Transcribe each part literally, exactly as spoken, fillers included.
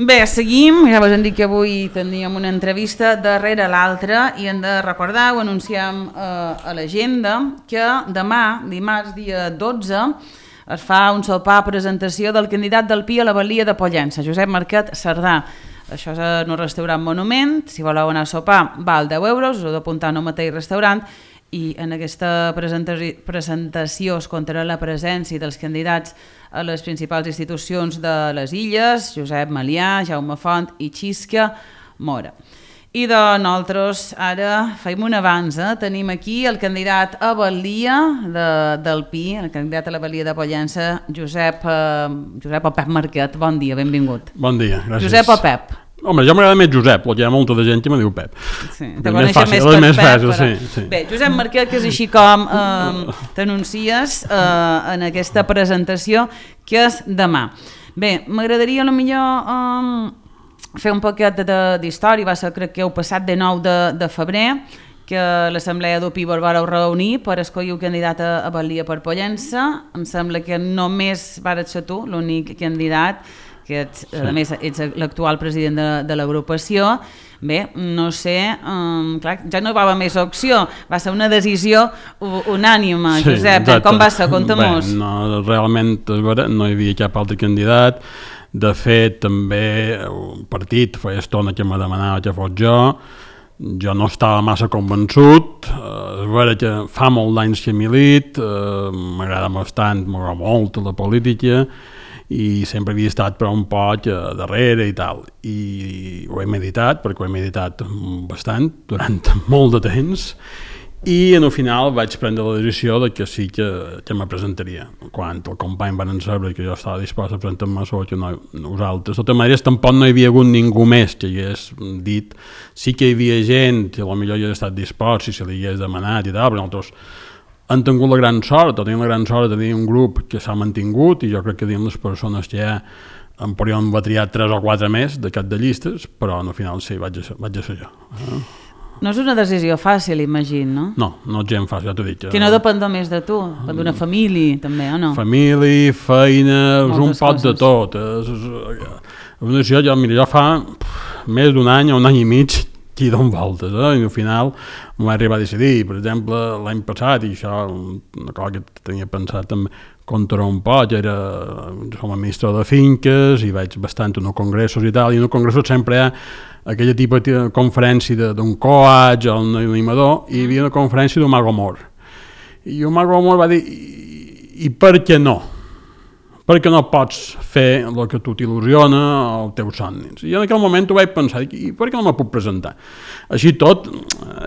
Bé, seguim, ja vos hem dit que avui teníem una entrevista darrere l'altra i hem de recordar, ho anunciem eh, a l'agenda, que demà, dimarts dia dotze, es fa un sopar presentació del candidat del Pi a la Balia de Pollença, Josep Marquet Cerdà. Això és en un restaurant Monument, si voleu anar a sopar val deu euros, us heu d'apuntar en un mateix restaurant, i en aquesta presentació es comptarà la presència dels candidats a les principals institucions de les Illes, Josep Malià, Jaume Font i Xisca Mora. I de nosaltres ara feim un avanç, eh? Tenim aquí el candidat a Balia de, del Pi, el candidat a la Balia de Pollença, Josep, eh, Josep o Pep Marquet. Bon dia, benvingut. Bon dia, gràcies. Josep o Pep? Home, jo m'agrada més Josep, perquè hi ha molta de gent que me diu Pep. Sí, te coneixen més per més Pep. Fàcil, però... sí, sí. Bé, Josep Marquet, que és així com eh, t'anuncies eh, en aquesta presentació, que és demà. Bé, m'agradaria a lo millor eh, fer un poquet d'història. Va ser, crec que heu passat de nou de, de febrer, que l'Assemblea d'Upi vos vareu reunir per escollir un candidat a, a Balia per Pollença. Em sembla que només vares ser tu, l'únic candidat, que ets, sí. A més ets l'actual president de, de l'agrupació. Bé, no sé, um, clar, ja no va haver més opció, va ser una decisió unànime, sí, Josep, exacte. Com va ser? Conta-mos. Bé, no, realment no hi havia cap altre candidat. De fet, també un partit feia estona que me demanava que fos jo. Jo no estava massa convençut. Uh, és vera que fa molt d'anys que milit, uh, m'agrada bastant, m'agrada molt la política, i sempre havia estat per un poc darrere i tal, i ho he meditat, perquè ho he meditat bastant durant molt de temps, i al final vaig prendre la decisió de que sí que, que me presentaria. Quan el company van saber que jo estava dispost a presentar-me, sobre que no, nosaltres. De totes maneres, tampoc no hi havia hagut ningú més que hagués dit. Sí que hi havia gent que potser hi hagués estat dispost si se li hagués demanat i tal, però nosaltres han tingut la gran sort, o tenim la gran sort de tenir un grup que s'ha mantingut, i jo crec que dins les persones que hi ha en podríem haver triat tres o quatre més de cap de llistes, però al final sí, vaig a, vaig a ser jo. Eh? No és una decisió fàcil, imagino, no? No, no és gent fàcil, ja t'ho dic. Que no depèn només de tu, depèn d'una família, també, o no? Família, feina, és un pot de tot. És, és, una decisió, jo, mira, jo fa més d'un any o un any i mig qui donen voltes, eh? I al final m'ho vaig arribar a decidir. Per exemple, l'any passat, i això una cosa que tenia pensat també contra un poc, era, som administrador de finques i vaig bastant a uns congressos i tal, i en els congressos sempre hi ha aquella tipus de conferència d'un coach o un animador, i hi havia una conferència d'un mago mort. I el mago mort va dir, i, i per què no? Perquè no pots fer el que tu t'il·lusiona o els teus somnis. I en aquell moment ho vaig pensar, i per què no me puc presentar? Així tot,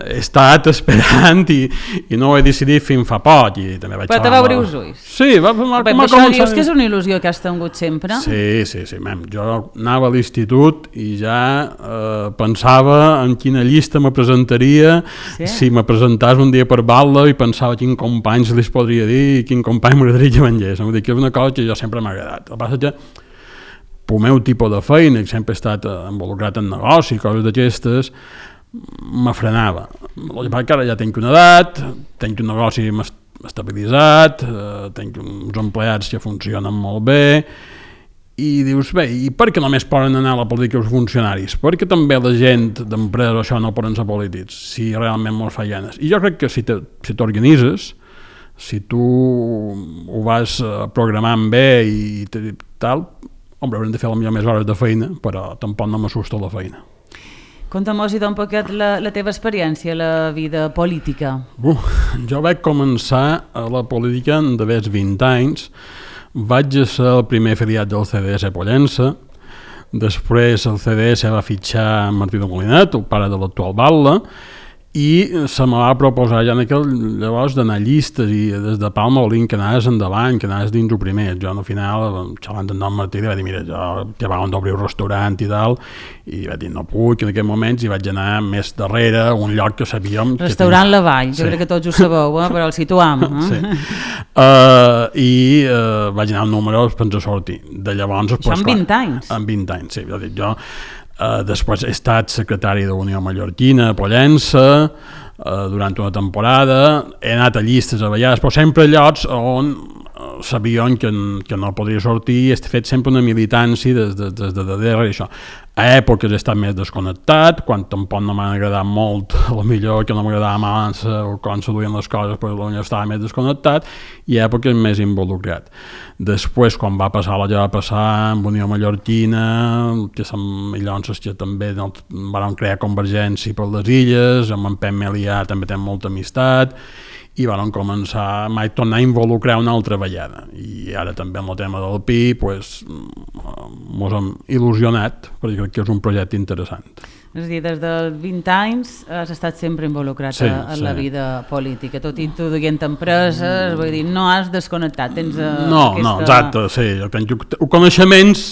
he estat esperant i, i no ho he decidit fins fa poc. I també vaig Però te va obrir els ulls. Sí, va, va, Bé, va això començar... dius que és una il·lusió que has tingut sempre? Sí, sí, sí. Mem. Jo anava a l'institut i ja eh, pensava en quina llista me presentaria, sí. Si me presentàs un dia per Batla, i pensava quin company se li podria dir i quin company m'agradaria que vengés. Vull dir que és una cosa que jo sempre m'ha agradat. El que passa que pel meu tipus de feina, que sempre he estat involucrat en negoci, coses d'aquestes, me frenava. El que passa que ara ja tenc una edat, tenc un negoci estabilitzat, eh, tenc uns empleats que funcionen molt bé, i dius, bé, i per què només poden anar a la política els funcionaris? Perquè també la gent d'empresa això no poden ser polítics, si realment mos fa ganes. I jo crec que si t'organitzes, si tu ho vas programant bé i tal, home, haurem de fer potser més hores de feina, però tampoc no m'assusta la feina. Conta'm-nos un poquet la, la teva experiència a la vida política. Uh, jo vaig començar a la política d'haver vint anys, vaig ser el primer afiliat del C D S a Pollença, després el C D S va fitxar Martí de Molinet, el pare de l'actual Batla, i se me va proposar ja en aquell llavors d'anar a llistes i des de Palma Olín que anaves endavant, que anaves dins el primer. Jo al final, xalant amb en Martí, va dir, mira, jo que van d'obrir un restaurant i tal, i va dir, no puc, en aquells moments, i vaig anar més darrere, a un lloc que sabíem... Restaurant que tenia... La Vall, jo sí. Crec que tots ho sabeu, eh? Però el situam. Eh? Sí. Uh, I uh, vaig anar al número sense sortir. De llavors... Això en vint anys? En vint anys, sí. Jo dic, jo... Uh, després he estat secretari de Unió Mallorquina a Pollença uh, durant una temporada, he anat a llistes a vegades, però sempre a llocs on sabien que, que no podria sortir i he fet sempre una militància des de, des de darrere i això. A èpoques he estat més desconnectat, quan tampoc no m'han agradat molt, a millor que no m'agradava abans o quan se duien les coses, però potser estava més desconnectat, i a èpoques més involucrat. Després, quan va passar allò que va passar amb Unió Mallorquina, que som llavors que també no, van crear Convergència per les illes, amb en Pep Melià també té molta amistat, i van començar mai tornar a involucrar una altra vegada. I ara també amb el tema del Pi pues, mos hem il·lusionat, perquè crec que és un projecte interessant. És a dir, des dels vint anys has estat sempre involucrat sí, en sí. la vida política, tot i tu duent empreses, vull dir, no has desconnectat, tens no, aquesta... No, exacte, sí, jo penso que coneixements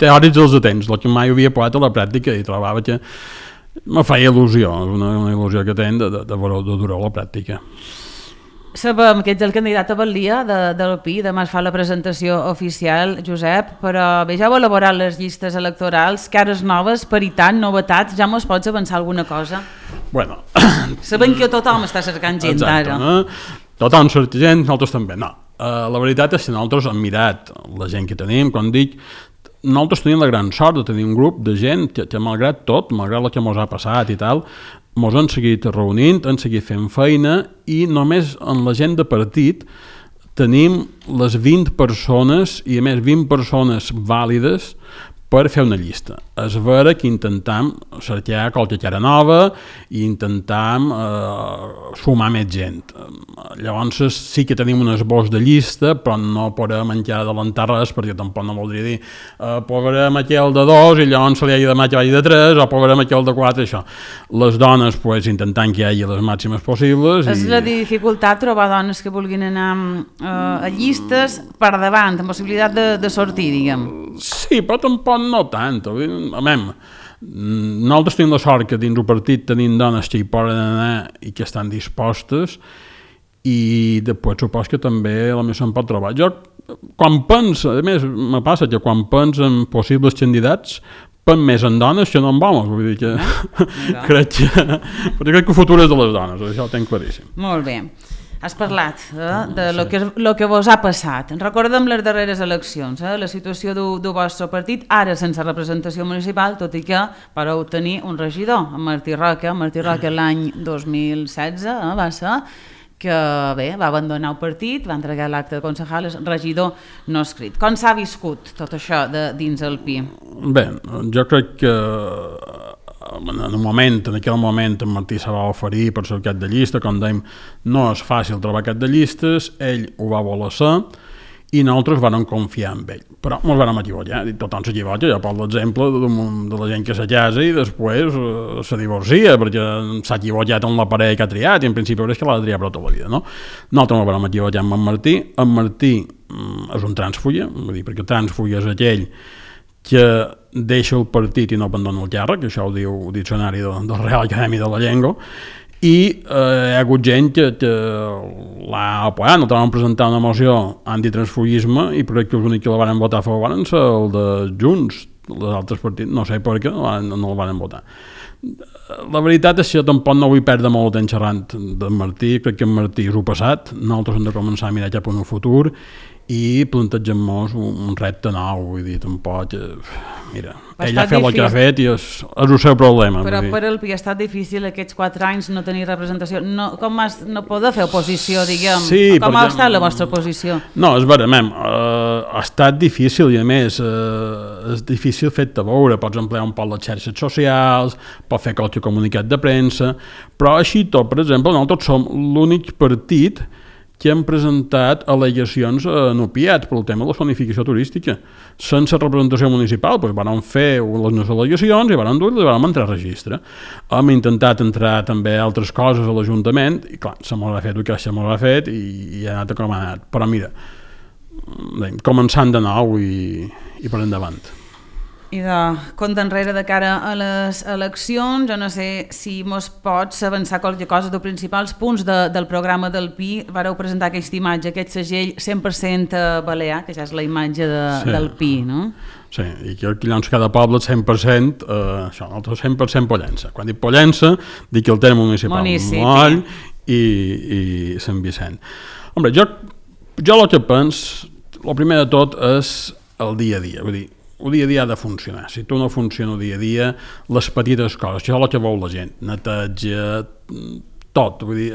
teòrics els tens, el que mai havia posat a la pràctica i trobava que me feia il·lusió, una, una il·lusió que tens de, de, de, de durar la pràctica. Sabem que ets el candidat a Balia de, del Pi, demà es fa la presentació oficial, Josep, però bé, ja heu elaborat les llistes electorals, cares noves, paritat, novetats, ja mos pots avançar alguna cosa? Bueno... Sabem que tothom està cercant gent Exacte, ara. No? Tothom cerca gent, nosaltres també, no. Uh, la veritat és que nosaltres hem mirat la gent que tenim, com dic, nosaltres tenim la gran sort de tenir un grup de gent que, que malgrat tot, malgrat el que mos ha passat i tal, mos han seguit reunint, han seguit fent feina i només en la gent de partit tenim les vint persones i a més vint persones vàlides per fer una llista. És vera que intentam cercar qualque cara nova i intentam eh, sumar més gent. Llavors sí que tenim un esbós de llista, però no podem encara adelantar res, perquè tampoc no voldria dir eh, posarem aquell de dos i llavors se li hagi de demà que vagi de tres, o posarem aquell de quatre, això. Les dones, pues, intentant que hi hagi les màximes possibles. És i... la dificultat trobar dones que vulguin anar eh, a llistes per davant, amb possibilitat de, de sortir, diguem. Sí, però tampoc no tant. A mem, nosaltres tenim la sort que dins el partit tenim dones que hi poden anar i que estan dispostes, i després supos que també a la se'n pot trobar. Jo, quan penso, a més, me passa que quan penso en possibles candidats, penso més en dones que no en homes, vull dir que no. crec que, però crec que el futur és de les dones, això ho tenc claríssim. Molt bé. Has parlat eh, de lo que, lo que vos ha passat. Recordem les darreres eleccions, eh, la situació del, del vostre partit, ara sense representació municipal, tot i que vareu tenir un regidor, en Martí Roca. Martí Roca l'any dos mil setze eh, va ser que bé, va abandonar el partit, va entregar l'acte de concejal, és regidor no escrit. Com s'ha viscut tot això de, dins el Pi? Bé, jo crec que en un moment, en aquell moment en Martí se va oferir per ser cap de llista, com dèiem, no és fàcil trobar cap de llistes, ell ho va voler ser i nosaltres vam confiar en ell, però ens vam equivocar, tothom s'equivoca, ja pot l'exemple de, de la gent que se casa i després eh, se divorcia perquè s'ha equivocat en la parella que ha triat i en principi és que l'ha de triar per tota la vida, no? Nosaltres ens vam equivocar amb en Martí, en Martí mm, és un transfulla, vull dir, perquè transfulla és aquell que deixa el partit i no abandona el càrrec, això ho diu el diccionari del de Real Acadèmia de la Llengua, i eh, hi ha hagut gent que, que l'ha apoyat, no vam presentar una moció antitransfugisme i crec que els únics que la van votar a favor van ser el de Junts, els altres partits, no sé per què no, no el van votar. La veritat és que jo tampoc no vull perdre molt temps xerrant d'en Martí, crec que en Martí és el passat, nosaltres hem de començar a mirar cap a un futur i plantegem-nos un, un repte nou, vull dir, tampoc, eh, mira, ell ha fet el que ha fet i és, és el seu problema. Però per el Pi ha estat difícil aquests quatre anys no tenir representació, no, com has, no poder fer oposició, diguem, sí, com ha estat la vostra oposició? No, és vera, mem, eh, ha estat difícil i a més eh, és difícil fer-te veure, pots emplear un poc les xarxes socials, pots fer qualque comunicat de premsa, però així tot, per exemple, nosaltres som l'únic partit que hem presentat al·legacions en opiats pel tema de la zonificació turística. Sense representació municipal, doncs van fer les al·legacions i van dur i van entrar a registre. Hem intentat entrar també altres coses a l'Ajuntament i clar, se m'ho ha fet el que se m'ho ha fet i, i ha anat com ha anat. Però mira, començant de nou i, i per endavant. I de compte enrere de cara a les eleccions, jo no sé si mos pots avançar qualque cosa dels principals punts de, del programa del Pi. Vareu presentar aquesta imatge, aquest segell cent per cent balear, que ja és la imatge de, sí. del Pi, no? Sí, i que llavors cada poble cent per cent, eh, això, nosaltres cent per cent Pollença. Quan dic Pollença, dic el terme municipal, Municipi. Moll i, i Sant Vicent. Hombre, jo jo el que penso, el primer de tot és el dia a dia, vull dir, el dia a dia ha de funcionar. Si tu no funciona el dia a dia, les petites coses, això és el que vol la gent, neteja, tot, vull dir,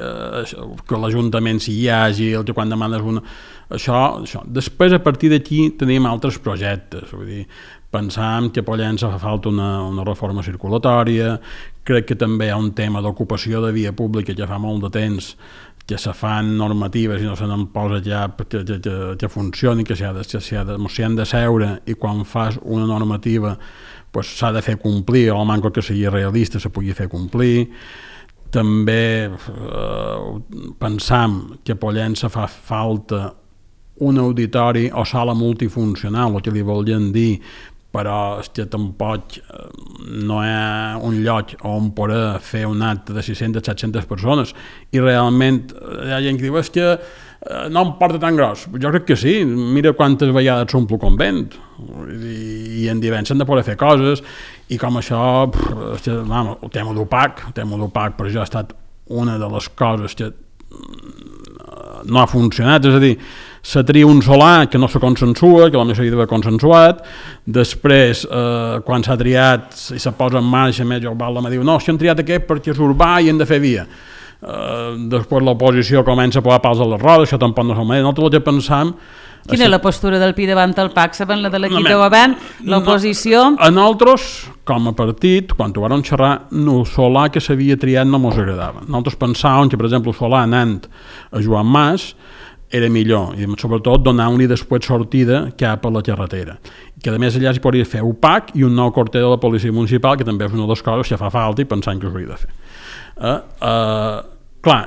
que l'Ajuntament sigui àgil, que quan demanes una... Això, això. Després, a partir d'aquí, tenim altres projectes, vull dir, pensam que a Pollença fa falta una, una reforma circulatòria, crec que també hi ha un tema d'ocupació de via pública que fa molt de temps que se fan normatives i no se n'en posa ja que, que, que, que funcioni, que s'hi ha, ha, ha de seure i quan fas una normativa pues, s'ha de fer complir, o al manco que sigui realista se pugui fer complir. També eh, pensam que a Pollença fa falta un auditori o sala multifuncional, el que li volien dir, però és que tampoc no hi ha un lloc on poder fer un acte de sis-centes a set-centes persones i realment hi ha gent que diu és que no em porta tan gros. Jo crec que sí, mira quantes vegades s'omplo convent i, i en divendres s'han de poder fer coses i com això pff, que, vamos, el tema d'opac el tema d'opac per això ha estat una de les coses que no ha funcionat, és a dir, se tria un solar que no se consensua, que potser s'havia d'haver consensuat, després, eh, quan s'ha triat i se posa en marxa, més Jorbal me diu, no, si han triat aquest perquè és urbà i hem de fer via. Eh, després l'oposició comença a posar pals a les rodes, això tampoc no és el mateix. Nosaltres el que pensam... Quina és la postura del Pi davant el P A C? Saben la de l'equip de govern? L'oposició? No, a nosaltres, com a partit, quan ho vam xerrar, el solar que s'havia triat no ens agradava. Nosaltres pensàvem que, per exemple, el solar anant a Joan Mas era millor, i sobretot donar-li després sortida cap a la carretera. Que a més allà s'hi podria fer U P A C i un nou quarter de la policia municipal, que també és una de les coses que fa falta i pensant que s'hauria de fer. Eh, eh, clar,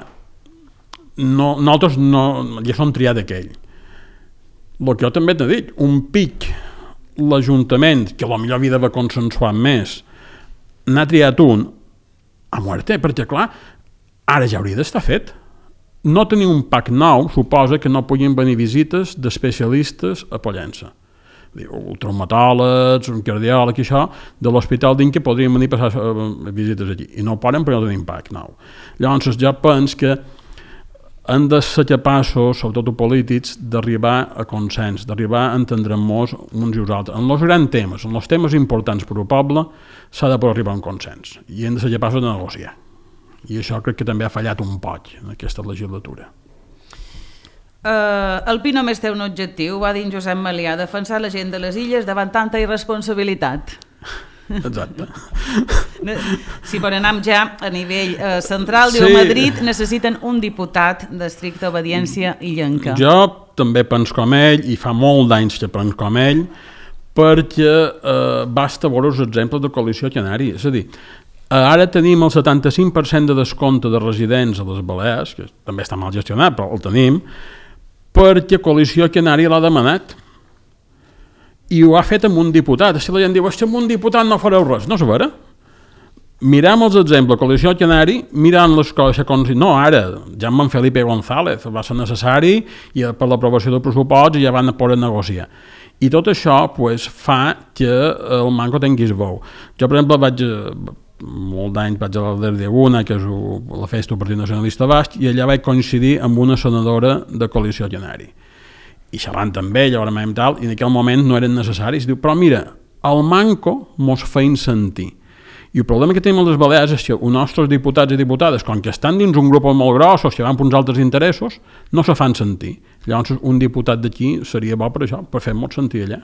no, nosaltres no, ja som triat aquell. El que jo també t'he dit, un pic, l'Ajuntament, que potser havia d'haver consensuat més, n'ha triat un a muerte, perquè clar, ara ja hauria d'estar fet. No tenir un P A C nou suposa que no puguin venir visites d'especialistes a Pollença. Traumatòlegs, un cardiòleg i això, de l'Hospital d'Inca podrien venir a passar visites aquí. I no poden perquè no tenim P A C nou. Llavors jo penso que han de ser capaços, sobretot els polítics, d'arribar a consens, d'arribar a entendre-nos uns i els altres. En els grans temes, en els temes importants per al poble, s'ha de poder arribar a un consens i hem de ser capaços de negociar. I això crec que també ha fallat un poc en aquesta legislatura. Uh, el Pi només té un objectiu, va dir en Josep Melià, defensar la gent de les illes davant tanta irresponsabilitat. Exacte. Si per anar ja a nivell eh, central, diu sí. Madrid necessiten un diputat d'estricta obediència illenca. Jo també penso com ell, i fa molt d'anys que penso com ell, perquè eh, basta veure els exemples de coalició canària. És a dir, ara tenim el setanta-cinc per cent de descompte de residents a les Balears, que també està mal gestionat, però el tenim, perquè Coalició Canària l'ha demanat. I ho ha fet amb un diputat. Si la gent diu, si amb un diputat no fareu res, no és vera. Mirem els exemples, Coalició Canària, mirant les coses com si... No, ara, ja amb en Felipe González va ser necessari i per l'aprovació del pressupost ja van poder negociar. I tot això pues, fa que el manco tinguis veu. Jo, per exemple, vaig... molt d'anys vaig a l'Alder de Una, que és la festa del Partit Nacionalista Basc, i allà vaig coincidir amb una senadora de Coalició Canària. I xerrant amb ella, i tal, i en aquell moment no eren necessaris. Diu, però mira, el manco mos feien sentir. I el problema que tenim a les Balears és que els nostres diputats i diputades, com que estan dins un grup molt gros o que van per uns altres interessos, no se fan sentir. Llavors, un diputat d'aquí seria bo per això, per fer-nos sentir allà.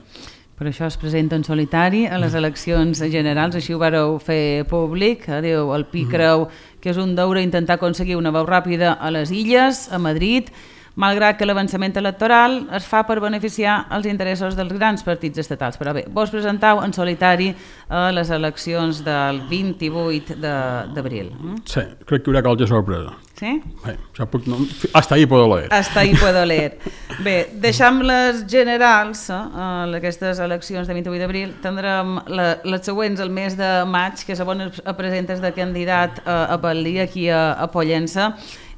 Per això es presenta en solitari a les eleccions generals, així ho vareu fer públic. Diu, el Pi creu que és un deure intentar aconseguir una veu ràpida a les illes, a Madrid, malgrat que l'avançament electoral es fa per beneficiar els interessos dels grans partits estatals. Però bé, vos presentau en solitari a les eleccions del vint-i-vuit d'abril. Sí, crec que hi haurà qualque sorpresa. Sí? Bé, ja puc, no, hasta ahí puedo leer. Hasta ahí puedo leer. Bé, deixam les generals, eh, aquestes eleccions de vint-i-vuit d'abril, tindrem la, les següents el mes de maig, que és on es presentes de candidat a, a Batlí, aquí a, a Pollença.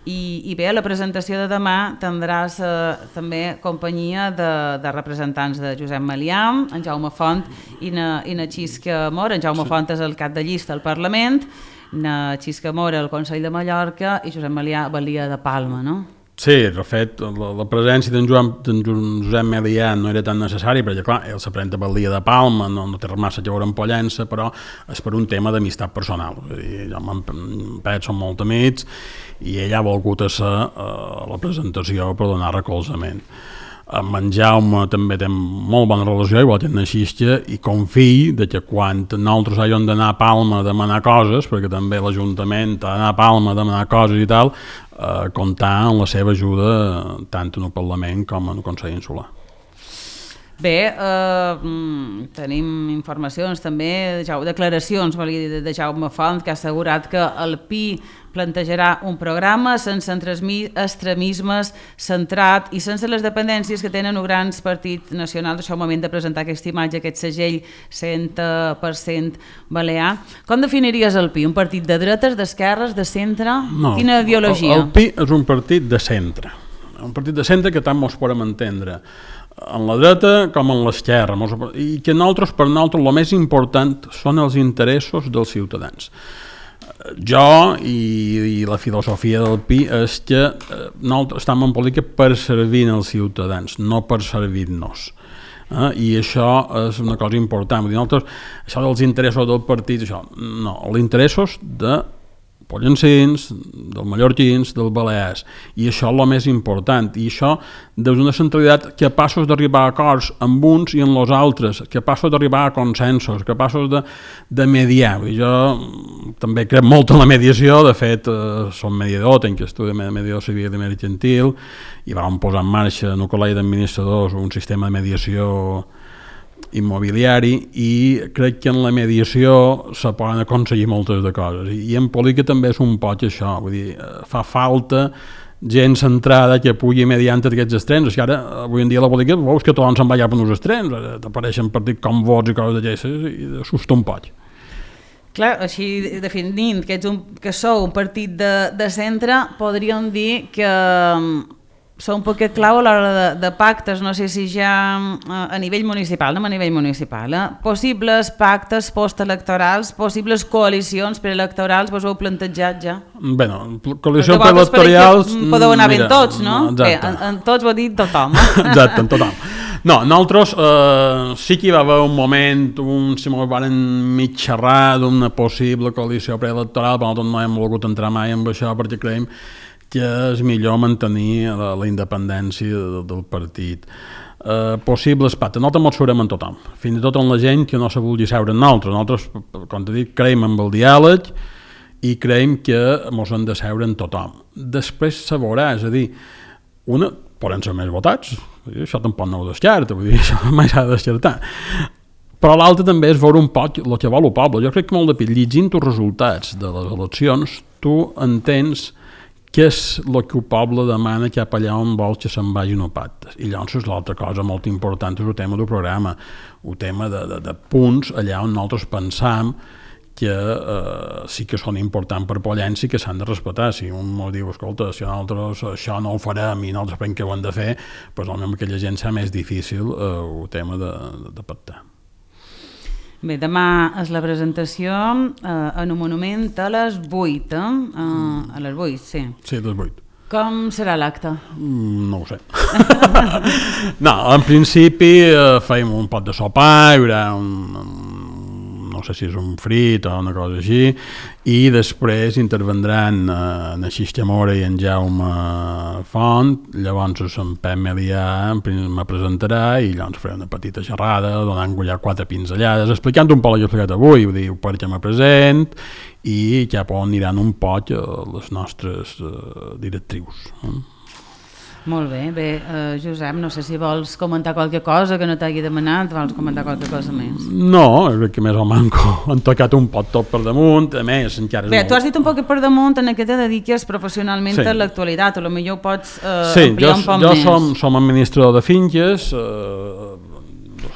I, i bé, a la presentació de demà tindràs eh, també companyia de, de representants de Josep Melià, en Jaume Font i na, i na Xisca Mora. En Jaume sí. Font és el cap de llista al Parlament, na Xisca Mora al Consell de Mallorca i Josep Melià Balia de Palma, no? Sí, de fet, la, la presència d'en Josep Melià no era tan necessari, perquè, clar, ell s'aprenta pel dia de Palma, no, no té massa a veure amb Pollença, però és per un tema d'amistat personal. És a dir, jo amb en Pet som molt amics i ell ha volgut ser a la presentació per donar recolzament. Amb en Jaume també té molt bona relació, igual que en Xistia, i confio de que quan nosaltres hàgim d'anar a Palma a demanar coses, perquè també l'Ajuntament ha d'anar a Palma a demanar coses i tal, eh, comptar amb la seva ajuda tant en el Parlament com en el Consell Insular. Bé, eh, tenim informacions també, declaracions de Jaume Font, que ha assegurat que el P I plantejarà un programa sense extremismes, centrat i sense les dependències que tenen els grans partits nacionals. Això és el moment de presentar aquesta imatge, aquest segell cent per cent balear. Com definiries el P I? Un partit de dretes, d'esquerres, de centre? No, quina ideologia? El, el P I és un partit de centre. Un partit de centre que tant mos podem entendre en la dreta com en l'esquerra, i que nosaltres, per nosaltres, el més important són els interessos dels ciutadans. Jo i, i la filosofia del P I és que nosaltres estem en política per servir els ciutadans, no per servir-nos. Eh? I això és una cosa important. Vull dir, nosaltres, això dels interessos del partit, això, no, els interessos de pollencins, dels mallorquins, dels balears, i això és el més important, i això des d'una centralitat capaços d'arribar a acords amb uns i amb els altres, capaços d'arribar a consensos, capaços de, de mediar. Vull dir, jo també crec molt en la mediació, de fet eh, som mediador, tenc estudi de mediació civil i mercantil, i vam posar en marxa en el Col·legi d'Administradors un sistema de mediació immobiliari, i crec que en la mediació se poden aconseguir moltes de coses, i en política també és un poc això, vull dir, fa falta gent centrada que pugui mediar entre aquests extrems. És que ara, avui en dia la política, veus que tothom se'n va allà per uns extrems, t'apareixen partits com Vots i coses d'aquestes, i assusta un poc. Clar, així definint que, ets un, que sou un partit de, de centre, podríem dir que sou un poquet clau a l'hora de, de pactes, no sé si ja a nivell municipal, no a nivell municipal, eh? Possibles pactes postelectorals, possibles coalicions preelectorals, vos ho heu plantejat ja? Bé, no, coalicions preelectorals... Podeu anar ben tots, no? no Bé, en, en tots ho ha dit tothom. Exacte, en tothom. No, nosaltres eh, sí que hi va haver un moment, un, si m'ho van mig xerrar d'una possible coalició preelectoral, però nosaltres no hem volgut entrar mai en això perquè creiem que és millor mantenir la, la independència de, del partit. Eh, possibles pactes, nosaltres ens seurem amb tothom, fins i tot amb la gent que no se vulgui seure amb nosaltres. Nosaltres, com t'he dit, creiem en el diàleg i creiem que ens hem de seure amb tothom. Després se veurà, és a dir, una, poden ser més votats, això tampoc no ho descarta, vull dir, això mai s'ha de descartar. Però l'altre també és veure un poc el que vol el poble. Jo crec que molt de pit, llegint els resultats de les eleccions, tu entens què és el que el poble demana cap allà on vol que se'n vagin els pactes. I llavors l'altra cosa molt important és el tema del programa, el tema de, de, de punts allà on nosaltres pensam que eh, sí que són importants per Pollença i que s'han de respectar. Si un ens diu, escolta, si nosaltres això no ho farem i nosaltres pensem que ho hem de fer, doncs potser aquella gent serà més difícil eh, el tema de, de, de pactar. Bé, demà és la presentació eh, en un monument a les vuit, eh? Uh, a les vuit, sí. Sí, a les vuit. Com serà l'acte? Mm, no ho sé. No, en principi eh, feim un pot de sopar, hi haurà un, un no sé si és un frit o una cosa així, i després intervendran eh, en Xistia Mora i en Jaume Font, llavors en Pep Melià me presentarà i llavors faré una petita xerrada donant ja quatre pinzellades, explicant un poc el que he explicat avui, vull dir, per què me present i cap on aniran un poc les nostres eh, directrius. Eh? Molt bé, bé, uh, Josep, no sé si vols comentar qualque cosa que no t'hagi demanat, vols comentar qualque cosa més? No, crec que més o manco han tocat un pot tot per damunt, a més encara... Bé, molt... tu has dit un poc per damunt en què te dediques professionalment sí. a l'actualitat, o potser ho pots uh, sí, ampliar jo, un poc jo més. Sí, som, som administrador de finques, eh,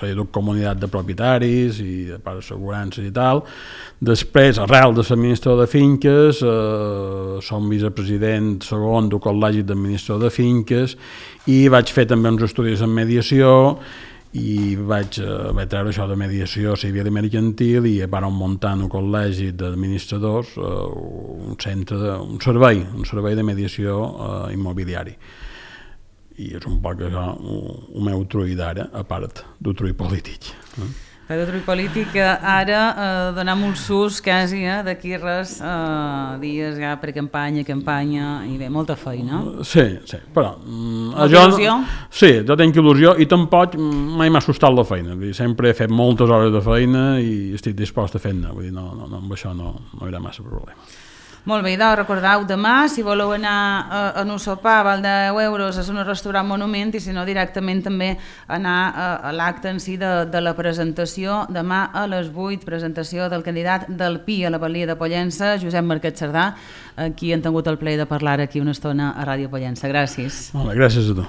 de comunitat de propietaris i de part d'assegurances i tal. Després, arrel de l'administrador de finques, eh, som vicepresident segon del Col·legi d'Administrador de Finques i vaig fer també uns estudis en mediació i vaig, uh, vaig treure això de mediació civil i mercantil i vam muntar en un col·legi d'administradors uh, un centre, de, un servei, un servei de mediació uh, immobiliari. I és un poc això, el meu trull d'ara, a part del trull polític. Eh? Per trull polític, ara eh, donar molts sus quasi, eh, d'aquí res, eh, dies ja per campanya, campanya, i bé, molta feina. Sí, sí, però... Molta jo, il·lusió? Sí, jo tenc il·lusió i tampoc mai m'ha assustat la feina. Vull dir, sempre he fet moltes hores de feina i estic dispost a fer-ne, vull dir, no, no, no, amb això no, no hi haurà massa problema. Molt bé, doncs recordeu demà, si voleu anar a, a un sopar, val deu euros, és un restaurant Monument, i si no directament també anar a, a l'acte en si de, de la presentació, demà a les vuit, presentació del candidat del Pi a la Balia de Pollença, Josep Marquet Cerdà, aquí han tingut el plaer de parlar aquí una estona a Ràdio Pollença. Gràcies. Molt bé, gràcies a tu.